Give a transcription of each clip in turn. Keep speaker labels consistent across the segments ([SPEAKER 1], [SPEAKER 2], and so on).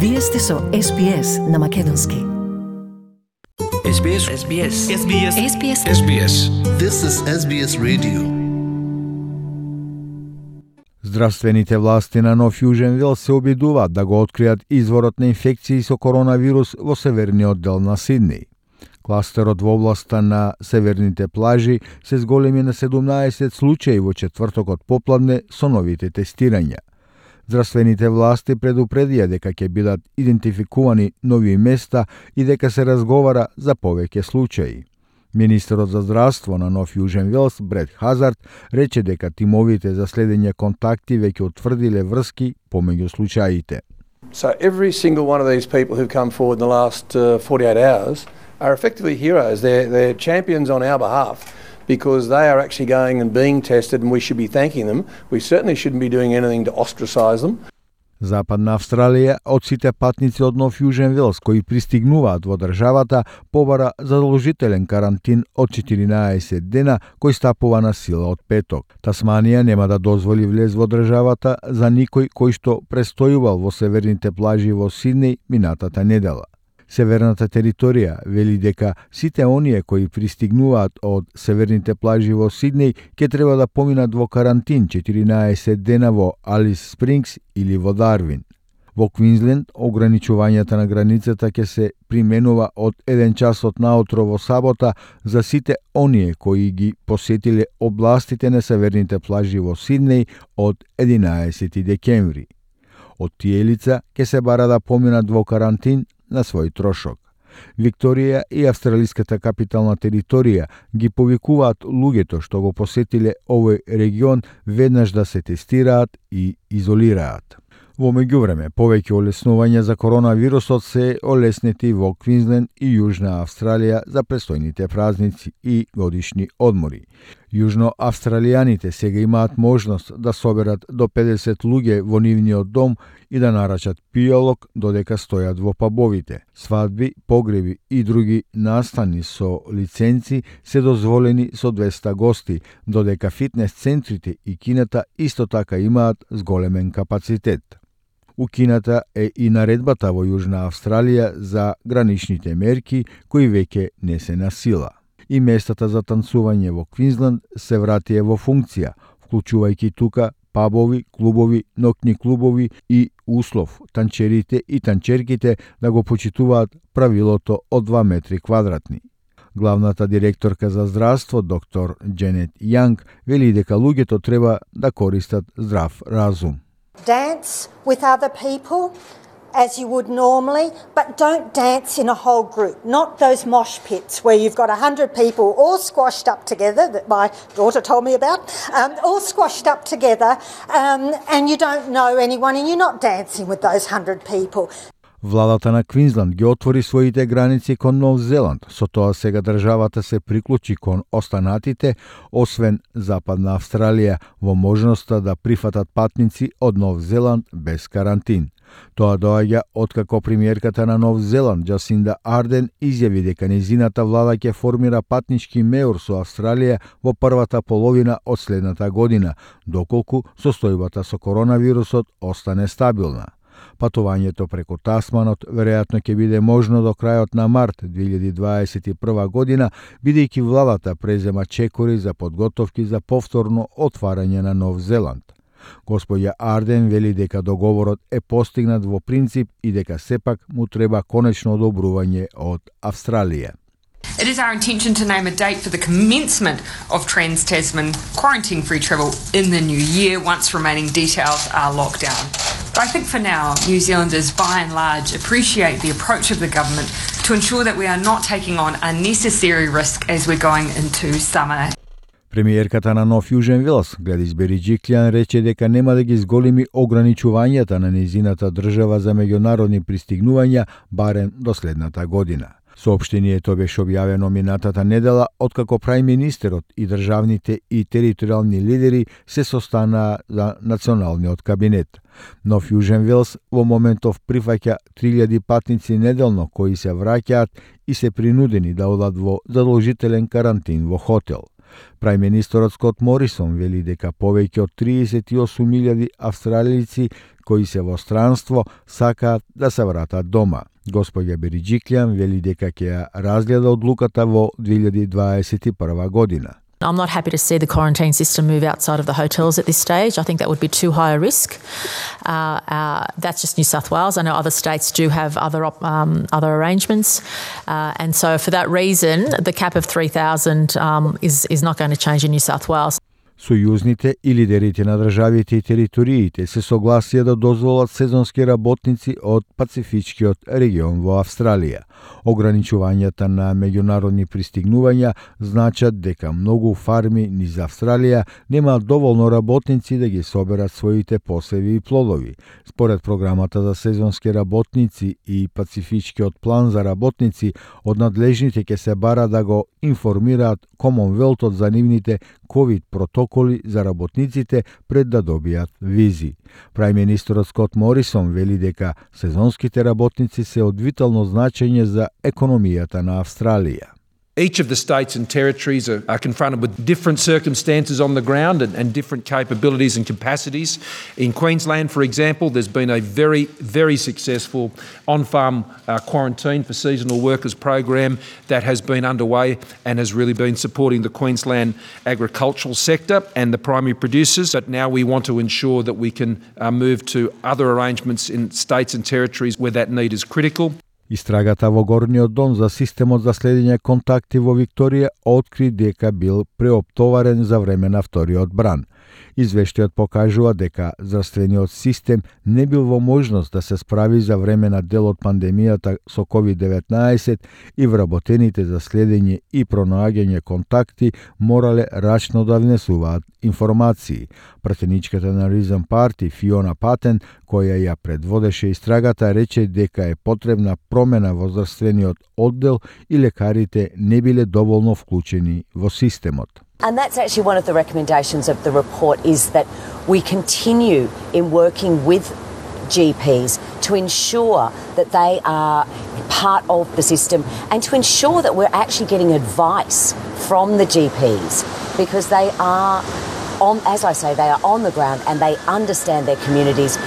[SPEAKER 1] Вие сте со SBS на македонски.
[SPEAKER 2] SBS.
[SPEAKER 3] This is SBS Radio.
[SPEAKER 4] Здравствените власти на Нов Јужен Велс се обидуваат да го откријат изворот на инфекции со коронавирус во северниот дел на Сиднеј. Кластерот во областа на северните плажи се зголеми на 17 случаи во четвртокот попладне со новите тестирања. Здравствените власти предупредија дека ќе бидат идентификувани нови места и дека се разговара за повеќе случаи. Министерот за здравство на Нов Јужен Велс, Бред Хазард, рече дека тимовите за следење контакти веќе утврдиле врски помеѓу случаите.
[SPEAKER 5] So every single one of these people who've come forward in the last 48 hours are effectively heroes. They're champions on our behalf because they are actually going and being tested and we should be thanking them. We certainly shouldn't be doing anything to ostracize them.
[SPEAKER 4] Западна Австралија од сите патници од Нов Јужен Велс кои пристигнуваат во државата побара задолжителен карантин од 14 дена кој стапува на сила од петок. Тасманија нема да дозволи влез во државата за никој кој што престојувал во северните плажи во Сиднеј минатата недела. Северната територија вели дека сите оние кои пристигнуваат од северните плажи во Сиднеј ќе треба да поминат во карантин 14 дена во Алис Спрингс или во Дарвин. Во Квинсленд ограничувањата на границата ќе се применува од 1 часот наутро во сабота за сите оние кои ги посетиле областите на северните плажи во Сиднеј од 11 декември. Од тие лица ќе се бара да поминат во карантин на свој трошок. Викторија и австралиската капитална територија ги повикуваат луѓето што го посетиле овој регион веднаш да се тестираат и изолираат. Во меѓувреме, повеќе олеснувања за коронавирусот се олеснети во Квинсленд и Јужна Австралија за престојните празници и годишни одмори. Јужноавстралијаните сега имаат можност да соберат до 50 луѓе во нивниот дом и да нарачат пијалок додека стојат во пабовите. Свадби, погреби и други настани со лиценци се дозволени со 200 гости, додека фитнес центрите и кината исто така имаат зголемен капацитет. У кината е и наредбата во Јужна Австралија за граничните мерки кои веќе не се на сила. И местата за танцување во Квинсленд се вратија во функција, вклучувајќи тука пабови, клубови, ноќни клубови и услов танчерите и танчерките да го почитуваат правилото од 2 метри квадратни. Главната директорка за здравство, доктор Дженет Јанг, вели дека луѓето треба да користат здрав разум.
[SPEAKER 6] Dance with other people as you would normally, but don't dance in a whole group. Not those mosh pits where you've got 100 people all squashed up together, that my daughter told me about, all squashed up together, and you don't know anyone and you're not dancing with those 100 people.
[SPEAKER 4] Владата на Квинсленд ги отвори своите граници кон Нов Зеланд, со тоа сега државата се приклучи кон останатите, освен Западна Австралија, во можноста да прифатат патници од Нов Зеланд без карантин. Тоа доаѓа откако премиерката на Нов Зеланд, Джасинда Арден, изјави дека незината влада ќе формира патнички меур со Австралија во првата половина од следната година, доколку состојбата со коронавирусот остане стабилна. Патувањето преку Тасманот веројатно ќе биде можно до крајот на март 2021 година, бидејќи владата презема чекори за подготовки за повторно отварање на Нов Зеланд. Господја Арден вели дека договорот е постигнат во принцип и дека сепак му треба конечно одобрување од Австралија.
[SPEAKER 7] It is our intention to name a date for the commencement of Trans-Tasman quarantine-free travel in the new year once remaining details are locked down. But I think for now, New Zealanders by and large appreciate the approach of the government to ensure that we are not taking on unnecessary risk as we're going into summer.
[SPEAKER 4] Премиерката на Нов Јужен Велс, Гледис Бериџиклијан, рече дека нема да ги зголеми ограничувањата на незината држава за меѓународни пристигнувања барем до следната година. Соопштението беше објавено минатата недела откако прајм-министерот и државните и територијални лидери се состанаа за националниот кабинет. Нов Јужен Велс во моментов прифаќа 3000 патници неделно кои се враќаат и се принудени да одат во задолжителен карантин во хотел. Прајм-министерот Скот Морисон вели дека повеќе од 38.000 австралици кои се во странство сакаат да се вратат дома. Господја Бериџиклјан вели дека ќе ја разгледа одлуката во 2021 година.
[SPEAKER 2] I'm not happy to see the quarantine system move outside of the hotels at this stage. I think that would be too high a risk. That's just New South Wales. I know other states do have other arrangements. And so for that reason, the cap of 3,000 is not going to change in New South Wales.
[SPEAKER 4] Сојузните и лидерите на државите и териториите се согласија да дозволат сезонски работници од Пацифичкиот регион во Австралија. Ограничувањата на меѓународни пристигнувања значат дека многу фарми низ Австралија немаат доволно работници да ги соберат своите посеви и плодови. Според програмата за сезонски работници и Пацифичкиот план за работници, од надлежните ќе се бара да го информираат Комонвелтот за нивните ковид протоколи за работниците пред да добијат визи. Прајм-министерот Скот Морисон вели дека сезонските работници се од витално значење за економијата на Австралија.
[SPEAKER 8] Each of the states and territories are confronted with different circumstances on the ground and different capabilities and capacities. In Queensland, for example, there's been a very, very successful on-farm quarantine for seasonal workers program that has been underway and has really been supporting the Queensland agricultural sector and the primary producers. But now we want to ensure that we can move to other arrangements in states and territories where that need is critical.
[SPEAKER 4] Истрагата во Горниот дом за системот за следење контакти во Викторија откри дека бил преоптоварен за време на вториот бран. Извештајот покажува дека здравствениот систем не бил во можност да се справи за време на дел од пандемијата со COVID-19 и вработените за следење и пронаѓање контакти морале рачно да внесуваат информации. Пратеничката на Ризен Парти Фиона Патен, која ја предводеше истрагата, рече дека е потребна промена во здравствениот оддел и лекарите не биле доволно вклучени во системот.
[SPEAKER 9] And that's actually one of the recommendations of the report, is that we continue in working with GPs to ensure that they are part of the system and to ensure that we're actually getting advice from the GPs, because they are on, as I say, they are on the ground and they understand their communities.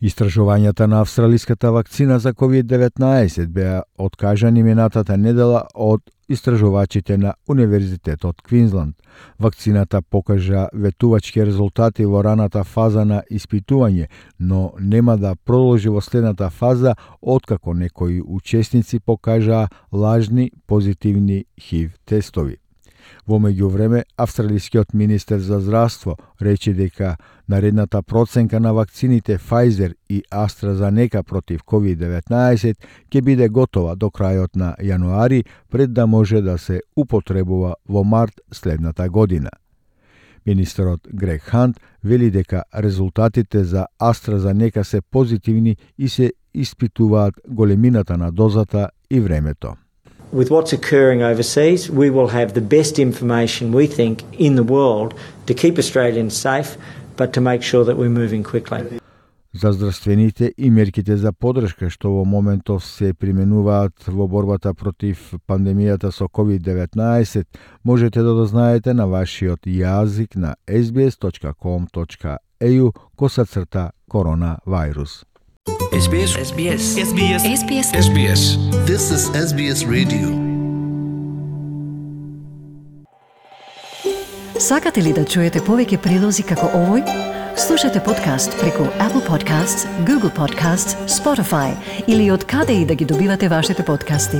[SPEAKER 4] Истражувањата на австралиската вакцина за COVID-19 беа откажани минатата недела од истражувачите на Универзитетот Квинсланд. Вакцината покажа ветувачки резултати во раната фаза на испитување, но нема да продолжи во следната фаза откако некои учесници покажаа лажни позитивни HIV тестови. Во меѓувреме, австралискиот министер за здравство рече дека наредната проценка на вакцините Pfizer и AstraZeneca против COVID-19 ќе биде готова до крајот на јануари, пред да може да се употребува во март следната година. Министерот Грег Хант вели дека резултатите за AstraZeneca се позитивни и се испитуваат големината на дозата и времето.
[SPEAKER 10] With what's occurring overseas, we will have the best information, we think, in the world to keep Australians safe, but to make sure that we're moving quickly.
[SPEAKER 4] За здравствените и мерките за поддршка што во моментов се применуваат во борбата против пандемијата со COVID-19, можете да дознаете на вашиот јазик на sbs.com.au/коронавирус.
[SPEAKER 3] SBS. This is SBS Radio.
[SPEAKER 1] Сакате ли да чуете повеќе прилози како овој? Слушате подкаст преку Apple Podcasts, Google Podcasts, Spotify или од каде и да ги добивате вашите подкасти.